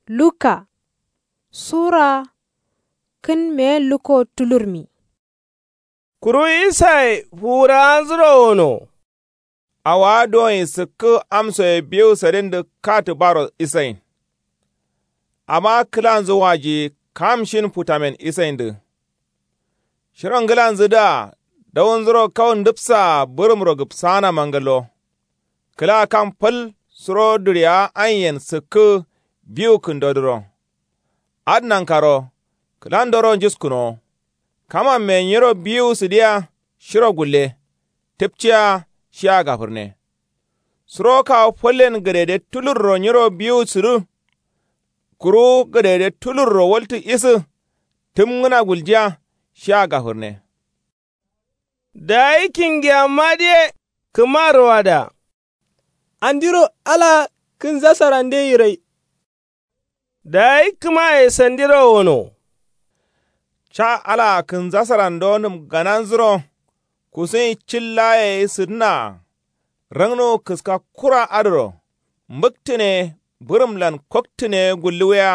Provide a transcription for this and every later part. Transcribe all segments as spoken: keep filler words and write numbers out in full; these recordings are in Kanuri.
Luka sura kǝn meyen lukko tulurmi. Kuru isaye fuwurawanzuro wono. Awowa duwonyi sǝkkǝ amsoye biwu sǝdindǝ katǝ baro isayin. Amma kǝlanzǝ wajiyi kam shin futamen isayindǝ. Shiro ngǝlanzǝdǝa dawunzuro kau ndǝpsaa bǝrǝmro gǝpsaana mangǝllo. Kǝla kam fal suro duriyawa anyiyen sǝkkǝ biwu kǝndodǝro. Adǝ nankaro kǝlandoro njuskǝnowo. Kamamme nyiro biwu sǝdiya shiro gulle. Tǝpciya shiya gafǝrne. Suro kawu fallen gǝdede tulurro nyiro biwu sǝdǝ. Kuru gǝdede tulurro waltǝ isǝ. Tǝmngǝna guljiya shiya gafǝrne. Dayi kingiyammadǝye kǝmaroada. Andiro alaa kǝnzasarande yirai. Dayi kǝmaye sandiro wono. Ca alaa kǝnzasarandonǝm gananzuro. Kusunyi cil laa yayi sǝdǝnaa. Rangnuwu kǝska kura adǝro. Mbǝktǝne bǝrǝmlan koktǝne gulluwiya.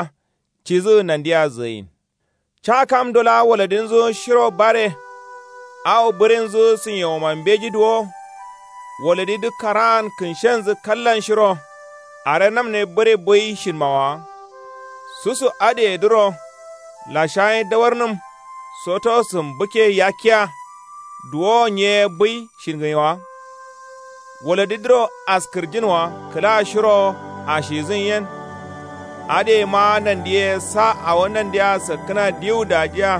Cidǝ nandiya zǝgǝyin. Ca kamdo laa waladinzu shiro bare. Awo bǝrinzu sǝnyewoma mbeji duwo. Waladidǝ karaan kǝnshenzu kallan shiro. Are namne bǝre bǝi shinmawa. Susu adǝyedǝro lashayi dawarnǝm. Soto sǝmbǝkke yakkiya. Duwowo nye bǝi shingǝnyewa. Waladidǝro askǝrjinwa kǝla shirowo ashizǝn yen. Adǝyema nandiye sa awo nandiya sakkǝna diwu dajiya.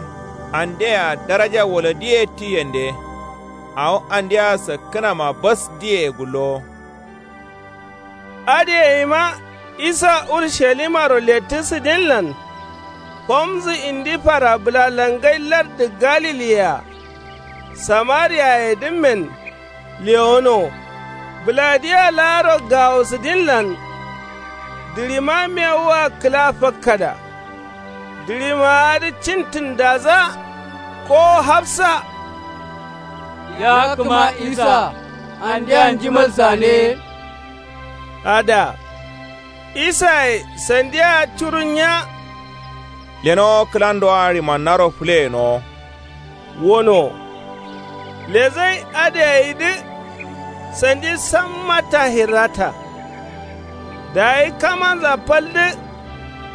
Andeyea daraja waladiye ti yende. Awo andeya sakkǝnama bas diye gullowo. Adǝyeima isa urushalimaro lettǝ sǝdinlan. Komzǝ indi fara bǝlalangai lardǝ galiliyea. Samariyayedǝmmen lewono. Bǝladǝa laaro gawo sǝdinlan. Dǝɍima mewua kǝla fakkada. Dǝɍimaadǝ cintǝndadza kowo hafsa. Ya kǝma isa andeya njimal sane. Ada isaye sandiya curunnya. Lenowo kǝlandoa ɍimannaro fǝleyenowo. Wono. Lezai adǝ gayidǝ sandi samma tahirrata. Dayi kamanza faldǝ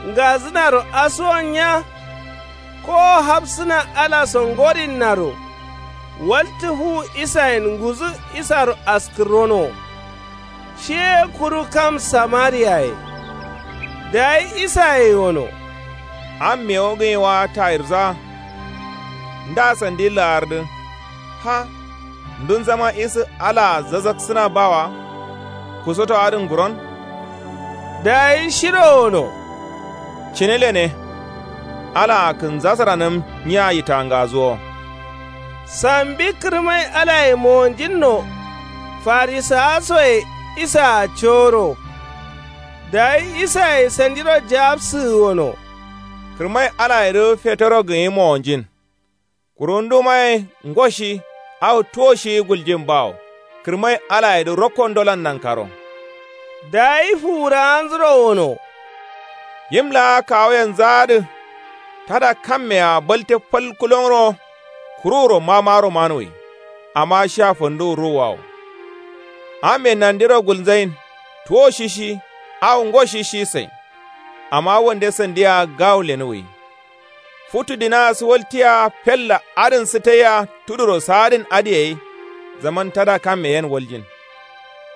ngazǝnaro asuwonnya. Kowo hafsǝna alaso ngorinnaro. Waltǝ fuwu isayen nguzǝ isaro askǝrronowo. Shi ye kuru kam samariyaye. Dayi isaye wono. Am mewu gǝnyi wa tayirdǝa. Nda sandi laardǝ. Ha. Ndunzama isǝ alaa zazaksǝna bawa. Kusoto adǝn nguron. Dayi shiro wono. Cǝne lene. Alaa kǝnzasaranǝm nyiya yitangazuwo. Sambi kǝrmai alaye mowonjinno. Farisawasoye isaa coro. Dayi isaye sandiro jawabsǝgǝ wono. Kǝrmai alayedǝ fetoro gǝnyi mowonjin. Kuru ndumaye ngoshi awo tuwoshi guljin bawo. Kǝrmai alayedǝ rokkondolan nankaro. Dayi fuwurawanzuro wono. Yim laa kawuyenzadǝ. Tada kammea balte fal kulonro. Kuruwuro mamaro manuwi. Amma shiya fanduwu ruwuwawo. Amme nandiro gulzain. Tuwo shishi awo ngo shishi sain. Amma wande sandiya gawu lenuwi. Futu dinaa sǝwaltiya fella adǝn sǝtaiya tuduro saadǝn adǝ gai. Zaman tada kamme yen waljin.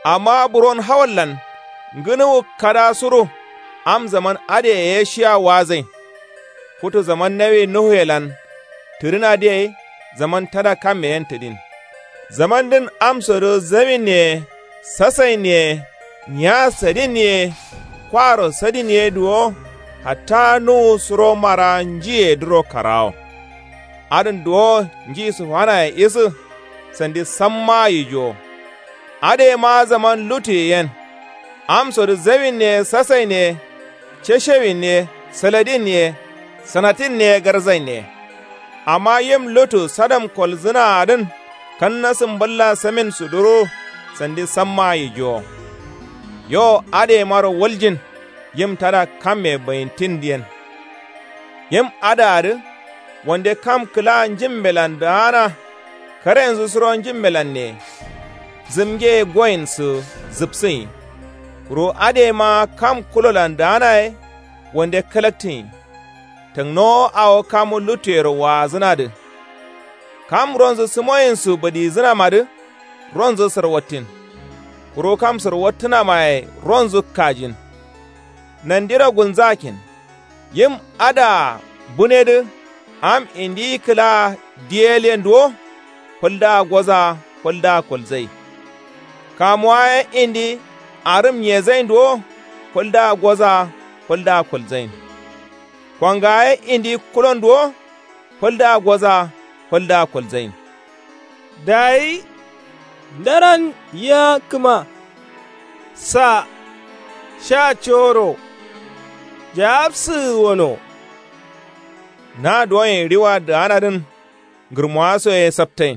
Amma buron hawallan ngǝnuwu kada suru. Am zaman adǝ ye shiya wazain. Futu zaman nawi nuhuyelan tǝdǝnadǝ gai. Zaman tada kamme yen tǝdin. Zamandǝn amsodǝ zawin ye sasain ye. Nya sadin ye. Kwaro sadin ye duwo. Hatta nuwu suro mara njiyedǝro karawo. Adǝn duwo nji sǝfanaye isǝ. Sandi sammaa yijuwo. Adǝyema zaman lutuye yen. Amsodǝ zawin ye sasain ye. Ceshewin ye saladin ye. Sanatin ye garzain ye. Amma yim lutu sadam kolzǝnaadǝn. Kanna sǝmballa samin suduru. Sandi sammaa yijuwo. Yo adǝyemaro waljin. yim tada kamme bǝyintin yen. Yim adǝ adǝ wande kam kǝla njimbelan daana. Karenzu suro njimbelanne zǝmgeye goyinsu zǝpsǝnyi. Kuru adǝ yema kam kulolan daana ye wande kǝlaktinyi. Tǝngnowo awo kamu luttuyero waazǝnadǝ. Kam ronzu sǝmoyinsu bǝdizǝnamadǝ ronzu sǝrwattin. Kuru kam sǝrwattǝnamaye ronzu kajin. Nandiro gulnzakin. Yim adǝa bunedǝ am indiyi kǝlaa diyelyenduwo. Fǝldǝa goza fǝldǝa kolzai. Kamuwa ye indi arǝm nyezainduwo. Fǝldǝa goza fǝldǝa kolzain. Konga ye indi kulonduwo. Fǝldǝa goza fǝldǝa kolzain. Dayi ndaran yia kǝma. Sa sha coro jawabsǝgǝ wono. Na duwoin riwa daanadǝn ngǝrmowa soye saptain.